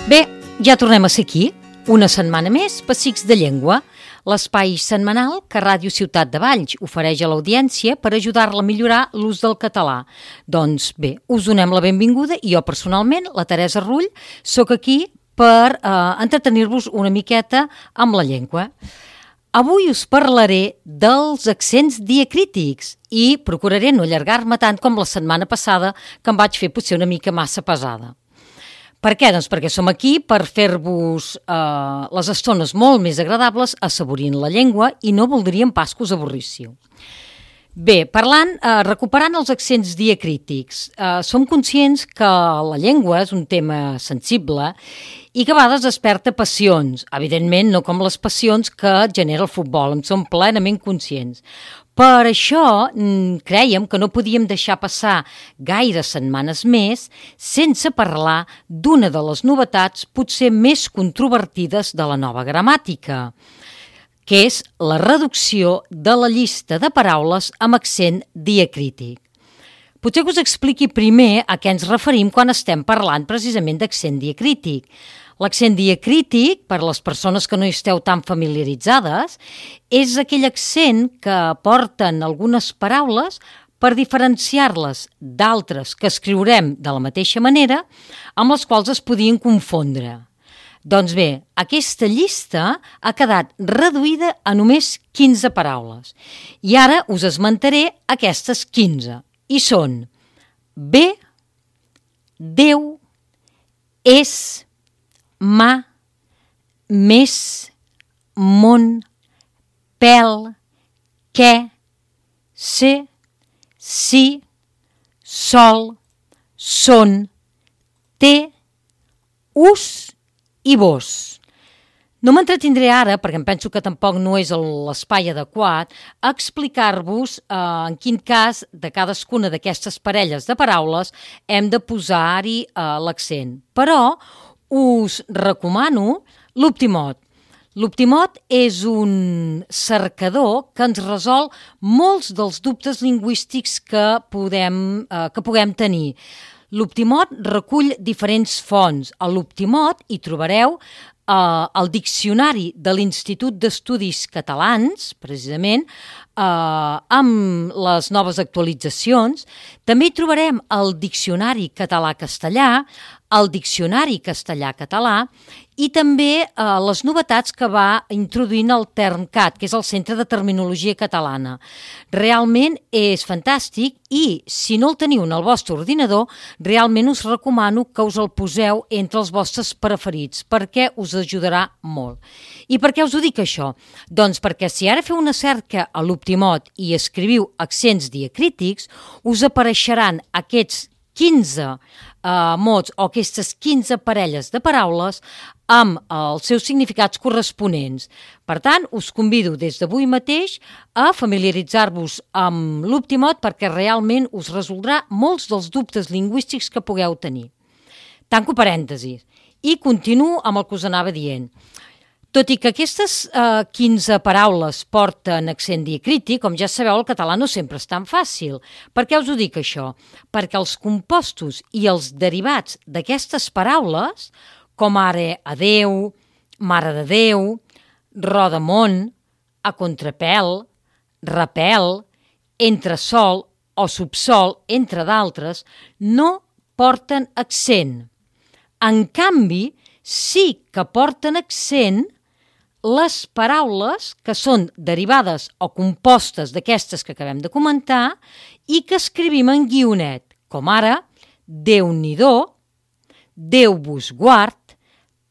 Bé, ja tornem a ser aquí, una setmana més, Pessics de Llengua, l'espai setmanal que Ràdio Ciutat de Valls ofereix a l'audiència per ajudar-la a millorar l'ús del català. Doncs bé, us donem la benvinguda i jo personalment, la Teresa Rull, sóc aquí per entretenir-vos una miqueta amb la llengua. Avui us parlaré dels accents diacrítics i procuraré no allargar-me tant com la setmana passada, que em vaig fer potser una mica massa pesada. Per què? Doncs perquè som aquí per fer-vos les estones molt més agradables assaborint la llengua i no voldríem pas que us avorríssiu. Bé, recuperant els accents diacrítics, som conscients que la llengua és un tema sensible i que a vegades desperta passions. Evidentment, no com les passions que genera el futbol, en som plenament conscients. Per això crèiem que no podíem deixar passar gaires setmanes més sense parlar d'una de les novetats potser més controvertides de la nova gramàtica, que és la reducció de la llista de paraules amb accent diacrític. Potser que us expliqui primer a què ens referim quan estem parlant precisament d'accent diacrític. L'accent diacrític, per les persones que no hi esteu tan familiaritzades, és aquell accent que porten algunes paraules per diferenciar-les d'altres que escriurem de la mateixa manera, amb les quals es podien confondre. Doncs bé, aquesta llista ha quedat reduïda a només 15 paraules. I ara us esmentaré aquestes 15. I són bé, Déu, és, mà, més, món, pèl, què, ser, sí, sol, són, té, us i vos. No m'entretindré ara, perquè em penso que tampoc no és l'espai adequat, a explicar-vos en quin cas de cadascuna d'aquestes parelles de paraules hem de posar-hi l'accent. Però us recomano l'Optimot. L'Optimot és un cercador que ens resol molts dels dubtes lingüístics que puguem tenir. L'Optimot recull diferents fonts. A l'Optimot hi trobareu el diccionari de l'Institut d'Estudis Catalans, precisament, amb les noves actualitzacions. També hi trobarem el diccionari català-castellà, el diccionari castellà-català i també les novetats que va introduint el TERMCAT, que és el Centre de Terminologia Catalana. Realment és fantàstic i, si no el teniu en el vostre ordinador, realment us recomano que us el poseu entre els vostres preferits, perquè us ajudarà molt. I per què us ho dic això? Doncs perquè si ara feu una cerca a l'Optimot i escriviu accents diacrítics, us apareixeran aquests 15 mots o aquestes 15 parelles de paraules amb els seus significats corresponents. Per tant, us convido des d'avui mateix a familiaritzar-vos amb l'Optimot perquè realment us resoldrà molts dels dubtes lingüístics que pugueu tenir. Tanco parèntesis i continuo amb el que us anava dient. Tot i que aquestes 15 paraules porten accent diacrític, com ja sabeu, el català no sempre és tan fàcil. Per què us ho dic això? Perquè els compostos i els derivats d'aquestes paraules, com ara adeu, mare de Déu, rodamón, a contrapèl, repèl, entresol o subsol, entre d'altres, no porten accent. En canvi, sí que porten accent les paraules que són derivades o compostes d'aquestes que acabem de comentar i que escrivim en guionet, com ara Déu-n'hi-do, Déu vos guard,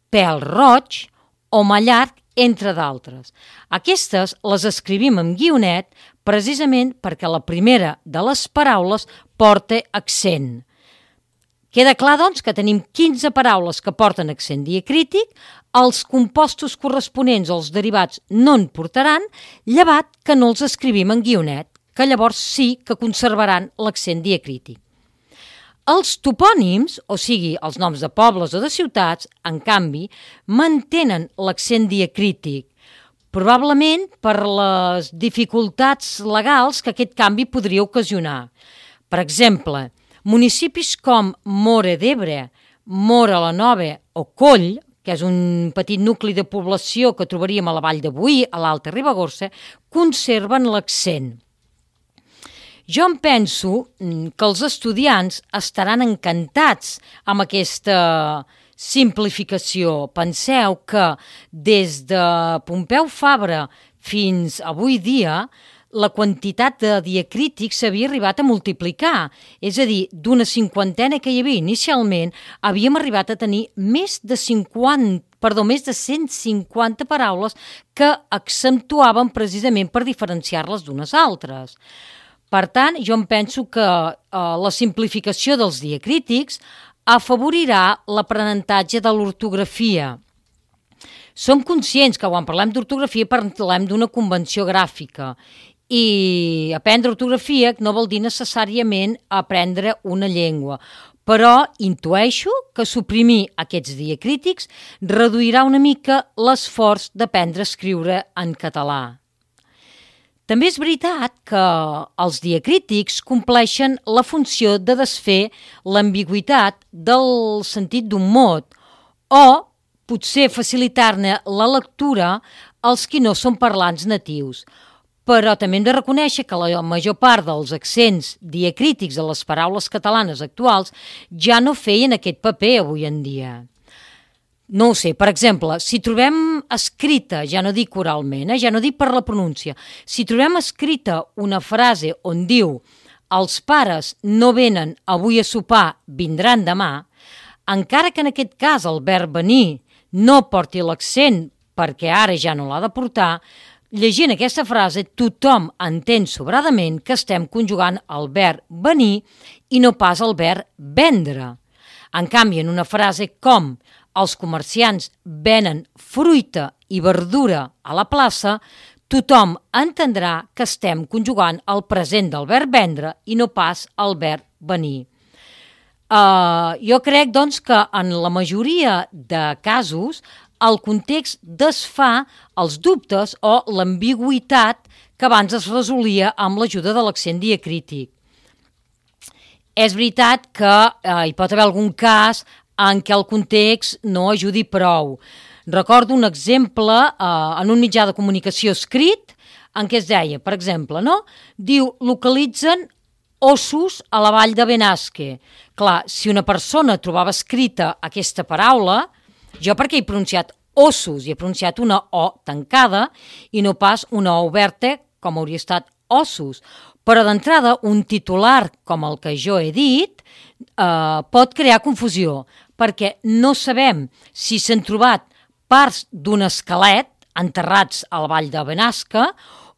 pèl roig o mallarg, entre d'altres. Aquestes les escrivim en guionet precisament perquè la primera de les paraules porta accent. Queda clar, doncs, que tenim 15 paraules que porten accent diacrític, els compostos corresponents o els derivats no en portaran, llevat que no els escrivim en guionet, que llavors sí que conservaran l'accent diacrític. Els topònims, o sigui, els noms de pobles o de ciutats, en canvi, mantenen l'accent diacrític, probablement per les dificultats legals que aquest canvi podria ocasionar. Per exemple, municipis com Móra d'Ebre, Móra la Nova o Coll, que és un petit nucli de població que trobaríem a la Vall de Boí, a l'Alta Ribagorça, conserven l'accent. Jo em penso que els estudiants estaran encantats amb aquesta simplificació. Penseu que des de Pompeu Fabra fins avui dia la quantitat de diacrítics s'havia arribat a multiplicar. És a dir, d'una 50ena que hi havia inicialment, havíem arribat a tenir més de 150 paraules que accentuaven precisament per diferenciar-les d'unes altres. Per tant, jo em penso que la simplificació dels diacrítics afavorirà l'aprenentatge de l'ortografia. Som conscients que quan parlem d'ortografia parlem d'una convenció gràfica i aprendre ortografia no vol dir necessàriament aprendre una llengua, però intueixo que suprimir aquests diacrítics reduirà una mica l'esforç d'aprendre a escriure en català. També és veritat que els diacrítics compleixen la funció de desfer l'ambigüitat del sentit d'un mot o potser facilitar-ne la lectura als qui no són parlants natius. Però també hem de reconèixer que la major part dels accents diacrítics de les paraules catalanes actuals ja no feien aquest paper avui en dia. No ho sé, per exemple, si trobem escrita, ja no dic oralment, ja no dic per la pronúncia, si trobem escrita una frase on diu els pares no venen avui a sopar, vindran demà, encara que en aquest cas el verb venir no porti l'accent perquè ara ja no l'ha de portar, llegint aquesta frase tothom entén sobradament que estem conjugant el verb venir i no pas el verb vendre. En canvi, en una frase com els comerciants venen fruita i verdura a la plaça, tothom entendrà que estem conjugant el present del verb vendre i no pas el verb venir. Jo crec, doncs, que en la majoria de casos el context desfà els dubtes o l'ambigüitat que abans es resolia amb l'ajuda de l'accent diacrític. És veritat que hi pot haver algun cas en què el context no ajudi prou. Recordo un exemple en un mitjà de comunicació escrit en què es deia, per exemple, no? Diu, localitzen ossos a la vall de Benasque. Clar, si una persona trobava escrita aquesta paraula, jo perquè he pronunciat ossos i he pronunciat una O tancada i no pas una O oberta com hauria estat ossos. Però d'entrada, un titular com el que jo he dit pot crear confusió, perquè no sabem si s'han trobat parts d'un esquelet enterrats a la vall de Benasque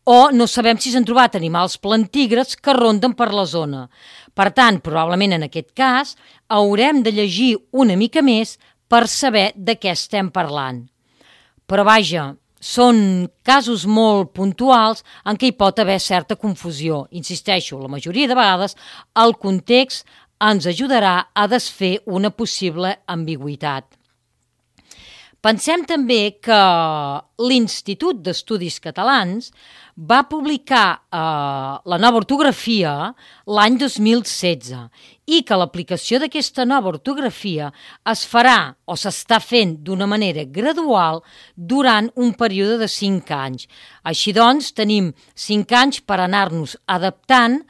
o no sabem si s'han trobat animals plantígrads que ronden per la zona. Per tant, probablement en aquest cas, haurem de llegir una mica més per saber de què estem parlant. Però vaja, són casos molt puntuals en què hi pot haver certa confusió. Insisteixo, la majoria de vegades el context ens ajudarà a desfer una possible ambigüitat. Pensem també que l'Institut d'Estudis Catalans va publicar la nova ortografia l'any 2016 i que l'aplicació d'aquesta nova ortografia es farà o s'està fent d'una manera gradual durant un període de 5 anys. Així doncs, tenim 5 anys per anar-nos adaptant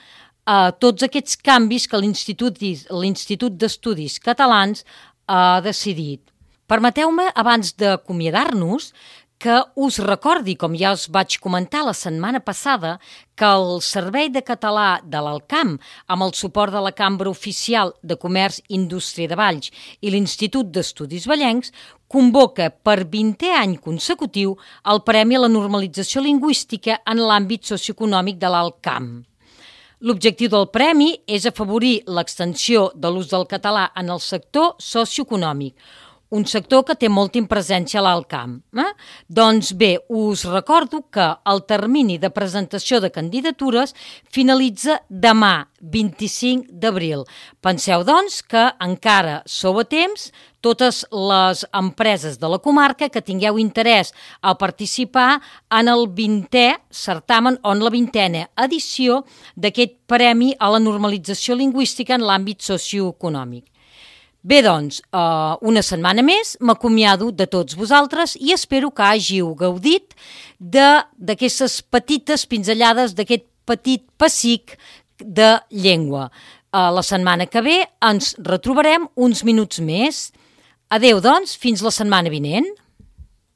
a tots aquests canvis que l'Institut d'Estudis Catalans ha decidit. Permeteu-me, abans d'acomiadar-nos, que us recordi, com ja us vaig comentar la setmana passada, que el Servei de Català de l'Alcamp, amb el suport de la Cambra Oficial de Comerç i Indústria de Valls i l'Institut d'Estudis Vallencs, convoca per 20è any consecutiu el Premi a la Normalització Lingüística en l'àmbit socioeconòmic de l'Alt Camp. L'objectiu del premi és afavorir l'extensió de l'ús del català en el sector socioeconòmic, un sector que té molta presència a l'Alt Camp. Doncs bé, us recordo que el termini de presentació de candidatures finalitza demà, 25 d'abril. Penseu, doncs, que encara sou a temps, totes les empreses de la comarca que tingueu interès a participar en el 20è certamen o en la 20a edició d'aquest Premi a la Normalització Lingüística en l'àmbit socioeconòmic. Bé, doncs, una setmana més m'acomiado de tots vosaltres i espero que hàgiu gaudit d'aquestes petites pinzellades, d'aquest petit pessic de llengua. La setmana que ve ens retrobarem uns minuts més. Adéu, doncs, fins la setmana vinent.